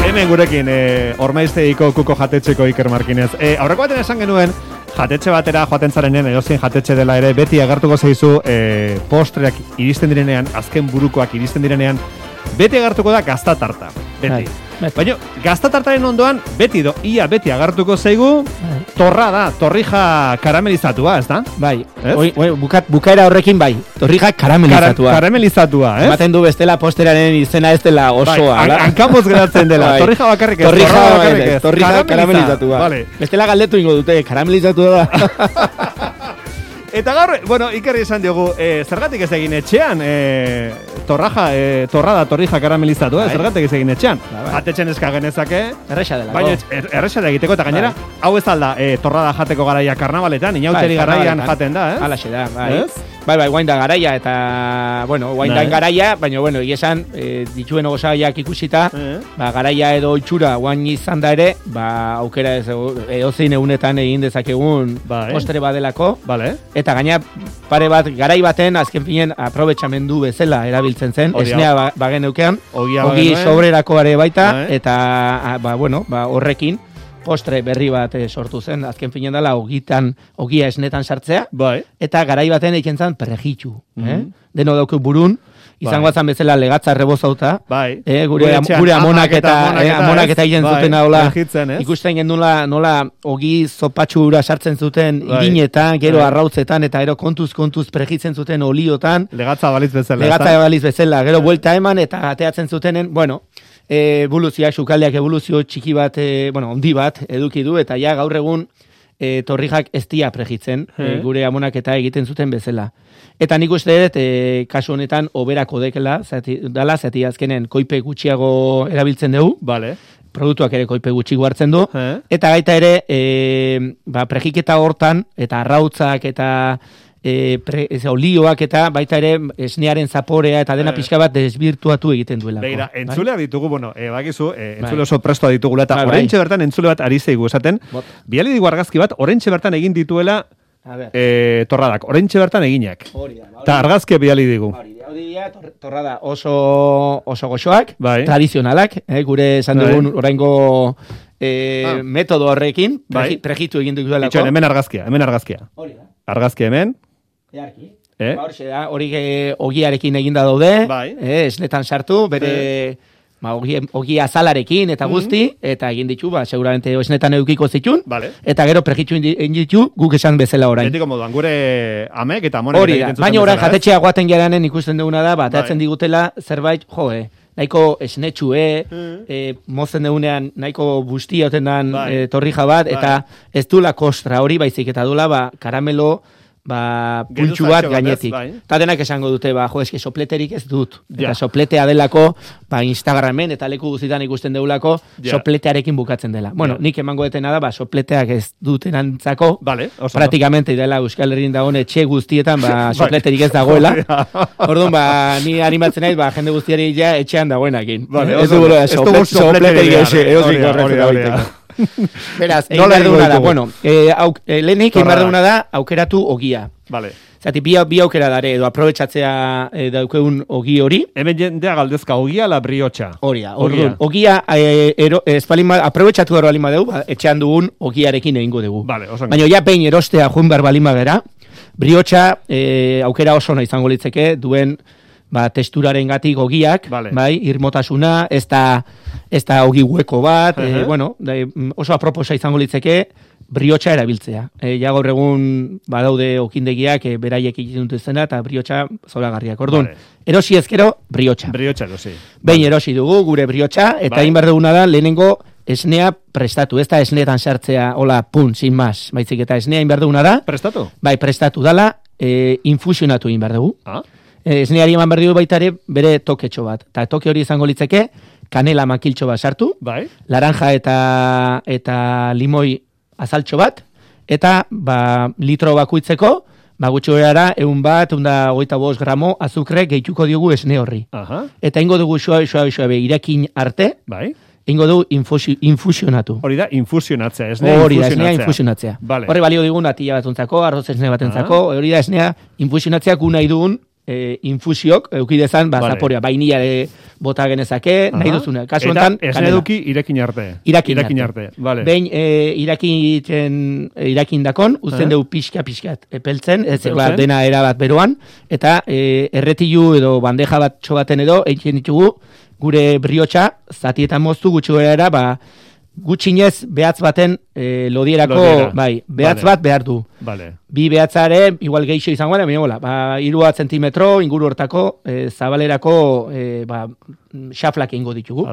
Hemen gurekin, Ormaiztegiko kuko jatetxeko Iker Markinez. Aurreko baten esan genuen, jatetxe batera joaten zarenean, edozein jatetxe dela ere, beti agertuko zaizu postreak iristen direnean, azken burukoak iristen direnean, beti agertuko da gaztatarta. Beti. Baina, gaztatartaren ondoan, ia beti agertuko zaigu, torra da, torrija karamelizatua, ez da? Bai, bukaera horrekin bai, torrija karamelizatua. Karamelizatua, ez? Ematen du bestela posteraren izena ez dela osoa. Bai, hankamuz geratzen dela, torrija bakarrik ez. Torrija karamelizatua. Bestela galdetu ingo dute, karamelizatua da. Eta gaur, Ikerri esan diogu, zergatik ez egin etxean, torrija karamelizatua, zergatik ez egin etxean. Jatetxen eska genezake. Erresa dela. Baina erresa da egiteko, eta gainera, hau ez alda, torrada jateko garaia karnabaletan, inauteri garaian jaten da, ez? Alaxe da, bai. Bai, guain da garaia, eta, guain da garaia, baina, egizan, dituen ogosaiak ikusita, garaia edo itxura guain izan da ere, aukera edozein egunetan egin dezakegun postre badelako, eta gaina pare bat, garai baten, azken finen, aprobetxamendu bezala erabiltzen zen, esnea bagen eukean, ogi sobrerako are baita, eta, horrekin, postre berri bat sortu zen, azken finen dela ogia esnetan sartzea, eta garai baten eiken zen perrejitxu. Deno dauke burun, izango zan bezala legatza rebozauta, gure amonak eta egin zuten hola, ikusten gendula nola ogi zopatxura sartzen zuten irinetan, gero arrautzetan, eta gero kontuz perrejitzen zuten oliotan, legatza baliz bezala, gero buelta eman, eta ateatzen zutenen, evoluzioak, sukaldeak evoluzio txiki bat, ondi bat eduki du, eta ja gaur egun torrijak ez dia prejitzen, gure amonak eta egiten zuten bezala. Eta nik uste dut, kasu honetan, oberako dekela, zati azkenen koipe gutxiago erabiltzen dugu, produktuak ere koipe gutxiago hartzen du, eta gaita ere, prejiketa hortan, eta arrautzak, eta olioak eta baita ere esnearen zaporea eta dena pixka bat desbirtuatu egiten duelako. Begira, entzulea ditugu, bakizu, entzule oso prestoa ditugula, eta oraintxe bertan entzule bat ari zeigu esaten, biali digu argazki bat, oraintxe bertan egin dituela torradak, oraintxe bertan eginak. Eta argazkia biali digu. Torrada oso goxoak, tradizionalak, gure esan dugun oraingo metodo horrekin, prejitu egin duelako. Itxoen, hemen argazkia. Argazkia hemen. Hori ogiarekin eginda daude, esnetan sartu, bere ogia azalarekin eta guzti, eta egin ditu, seguramente esnetan edukiko zitun, eta gero prejitu egin ditu guk esan bezala orain. Betiko moduan, gure amek eta amonek egiten zuten bezala. Baina orain jatetxea guaten geranen ikusten duguna da, ateatzen digutela zerbait, nahiko esnetxue, mozen deunean nahiko bustia oten dan torrija bat, eta ez dula kostra hori baizik, eta dula karamelo pultsu bat gainetik. Eta denak esango dute, eske sopleterik ez dut. Eta sopletea delako, Instagramen eta leku guztietan ikusten deulako, sopletearekin bukatzen dela. Nik emango detena da, sopleteak ez dutenantzako, praktikamente dela Euskal Herrian dagoen etxe guztietan, sopleterik ez dagoela. Orduan, ni animatzen naiz, jende guztiari etxean dagoenakin. Ez dugu sopleterik ez. Beraz, egin behar duguna da, lehenik egin behar duguna da, aukeratu ogia. Zati, bi aukera dare, edo aprobetxatzea daukeun ogi hori. Hemen jendea galdezka, ogia la briotxa. Ogia, aprobetxatu gero balima dugu, etxean dugun ogiarekin egingo dugu. Baina ja pein erostea joan behar balima gera, briotxa aukera oso nahi izango litzeke, duen testuraren gatik ogiak, irmotasuna, ez da ogi hueko bat, oso aproposa izango litzeke, briotxa erabiltzea. Ja gaur egun badaude okindegiak beraiek egiten dute zena, eta briotxa zoragarriak. Orduan, erosi ezkero, briotxa. Behin erosi dugu, gure briotxa, eta egin behar duguna da, lehenengo esnea prestatu. Ez da esneetan sartzea, hola, sin mas, baizik eta esnea egin behar duguna da. Prestatu? Bai, prestatu dala, infusionatu egin behar dugu. Esneari eman behar dugu baita ere bere toketxo bat. Eta toke hori izango litzeke, kanela makiltxo bat sartu, laranja eta limoi azaltxo bat, eta litro bakuitzeko, gutxi gorara, 125 gramo azukre gehituko diogu esne horri. Eta ingo dugu suabe irakin arte, ingo dugu infusionatu. Hori da, infusionatzea, esnea infusionatzea. Horri balio digun atila batuntzako, arroz esne batentzako, hori da esnea infusionatzea gu nahi dugun infusiok, eukidezan, zaporea, bainila bota genezake, nahi duzuna. Kasu honetan, kanela. Eta esneduki irekin arte. Irakin arte. Vale. Behin irakin dakon, uzten dugu pixka-pixkat epeltzen, ez dena erabat beroan, eta erretilu edo bandeja bat txobaten edo, egiten ditugu, gure briotxa, zatietan moztu gutxi gara, gutxinez behatz baten lodierako, behatz bat behar du. Vale. Bi behatzare, igual geixo izango gara, baina 3 zentimetro inguru hortako zabalerako xaflak ingo ditugu.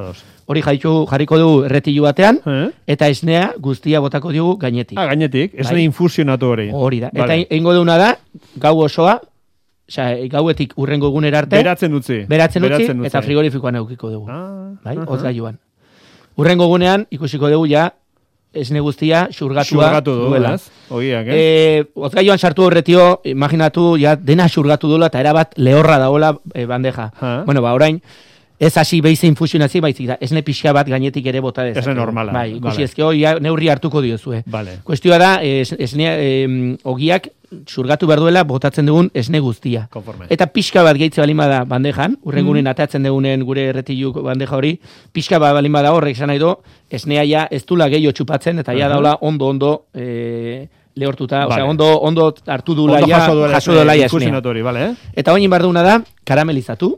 Hori jarriko du erretilu batean, eta esnea guztia botako dugu gainetik. Gainetik, esne infusionatu hori. Hori da, eta ingo duguna da, gau osoa, gauetik urrengo egunera arte. Beratzen utzi. Eta frigorifikoan eukiko dugu. Hotgailuan. Urrengo gunean, ikusiko dugu ja, esne guztia xurgatua duela. Ogiak, Hotgailuan sartu horretio, imaginatu, ja, dena xurgatu duela, eta erabat lehorra dagoela bandeja. Bueno, orain, ez hasi behize infusionazi, baizik da, esne pixka bat gainetik ere bota dezake. Esne normala. Ikusi ezkeo, neurri hartuko diozue. Vale. Kuestioa da, esne ogiak xurgatu behar duela botatzen dugun esne guztia. Konforme. Eta pixka bat gehitze balima da bandejan, urrengunen atatzen dugunen gure erretilu bandeja hori, pixka bat balima da horrek esan nahi do, esnea ja ez dula gehiago txupatzen, eta ja daula ondo lehortuta, ondo hartu dula jaso dula esnea. Vale. Eta oin behar duguna da, karamelizatu.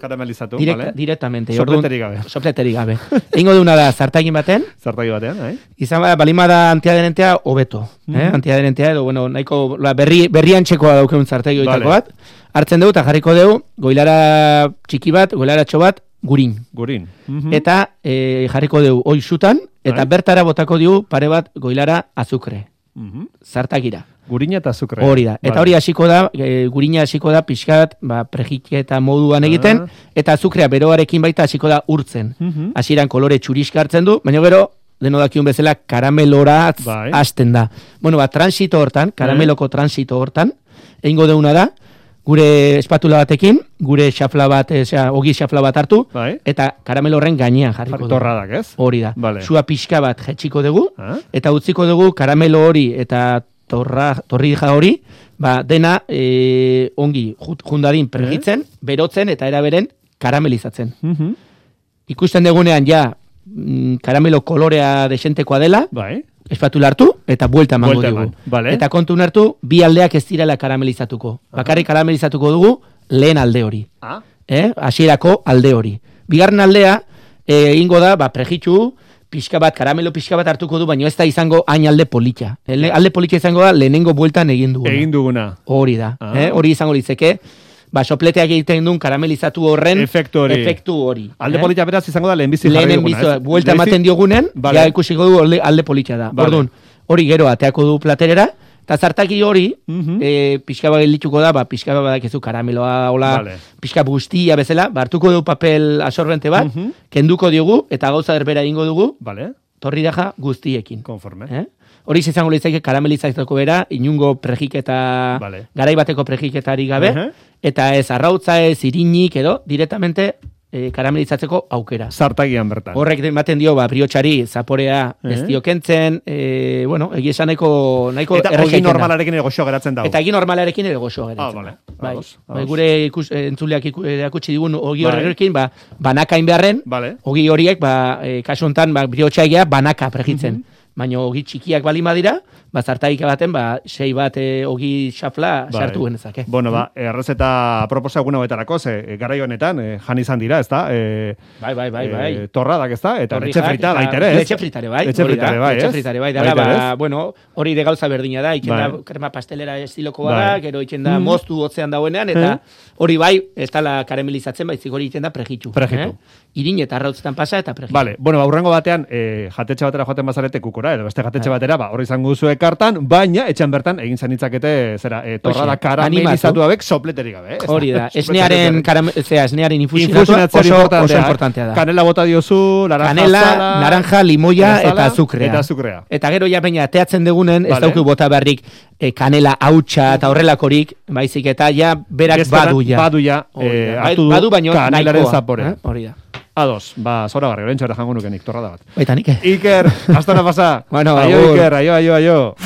Directamente. Sopleterik gabe. Eingo duguna da, zartagin baten. Izan balima da antiaderentea hobeto. Antiaderentea edo, nahiko berrian txekoa daukeun zartagi oitako bat. Hartzen dugu eta jarriko dugu, goilara txiki bat, goilaratxo bat, gurin. Eta jarriko dugu oizutan, eta bertara botako dugu pare bat goilara azukre. Zartagira. Gurina eta azukre. Hori da. Eta hori hasiko da, gurina hasiko da pixkat, prejiketa moduan egiten, eta azukrea beroarekin baita hasiko da urtzen. Hasieran kolore txuriska hartzen du, baina gero, deno dakiun bezala, karamelora hasten da. Bueno, transito hortan, karameloko transito hortan, egingo deuna da, gure espatula batekin, gure xafla bat, ogi xafla bat hartu, eta karamelo horren gainean jarriko dugu. Torradak, ez? Hori da. Sua pixka bat jetxiko dugu, eta utziko dugu karamelo hori eta torrija hori, dena ongi jundadin pregitzen, berotzen eta eraberen karamelizatzen. Ikusten dugunean ja karamelo kolorea desentekoa dela, espatula hartu eta buelta emango dugu. Eta kontun hartu, bi aldeak ez direla karamelizatuko. Bakarrik karamelizatuko dugu lehen alde hori. Hasierako alde hori. Bigarren aldea, ingo da, prejitxu, karamelo pixka bat hartuko du, baina ez da izango hain alde politxa. Alde politxa izango da, lehenengo bueltan egin duguna. Hori da. Hori izango litzeke. Sopleteak egiten duen karamelizatu horren efektu hori. Alde politxa beraz izango da lehenbizi jarri duguna. Buelta ematen diogunen, ja ikusiko du alde politxa da. Orduan, hori gero ateako du platerera, eta zartaki hori, pixka bat gelituko da, pixka bat badakizu karameloa, pixka guztia bezala, hartuko du papel absorbente bat, kenduko diogu, eta gauza erbera ingo dugu, torri daja guztiekin. Konforme. Hori izango lehizaik karamelizatzeko bera, inungo prejiketa, garaibateko prejiketari gabe, eta ez arrautza ez irinik edo, directamente karamelizatzeko aukera. Zartagian bertan. Horrek ematen dio, briotxari zaporea ez dio kentzen, egia esan nahiko eta ogi normalarekin ere goxo geratzen dago. Eta ogi normalarekin ere goxo geratzen dago. Gure entzuleak erakutsi digun ogi horrekin, banakain beharren, ogi horiek, kasu honetan, briotxaia banaka pregitzen. Baina ogi txikiak balima dira, zartaik baten, 6 bat ogi xafla sartu genezake. Bueno, errezeta proposa eguna betarako, garai honetan, jan izan dira, ez da? Bai. Torradak, ez da? Eta letxe frita baita ere, ez? Letxe fritare, bai. Letxe fritare, bai. Bueno, hori de gauza berdina da, itzen da krema pastelera estiloko bada, gero itzen da moztu hotzean dagoenean, eta hori bai, ez da karamelizatzen, baizik hori itzen da prejitxu. Irin eta arrautzetan pasa eta prejitxu. Vale, bueno, urrengo batean, jatetxe batera joaten bazarete kukura, edo beste jatetxe batera, hori izango duzu kartan, baina etxan bertan egin zanitzakete torrada karamelizatu abek sopleterik gabe. Hori da, esnearen infusionatua oso importantea da. Kanela bota diozu, naranja, limoia eta azukrea. Eta gero ja baina teatzen degunen, ez dauki bota beharrik kanela hautsa eta horrelakorik, baizik eta ja berak badu ja. Badu baino kanelaren zapore. Hori da. Ados, zora garri, horrentxo ere jango nukenik, torrada bat. Baita nik. Iker, hasta na pasa. Bueno, aio Iker, aio.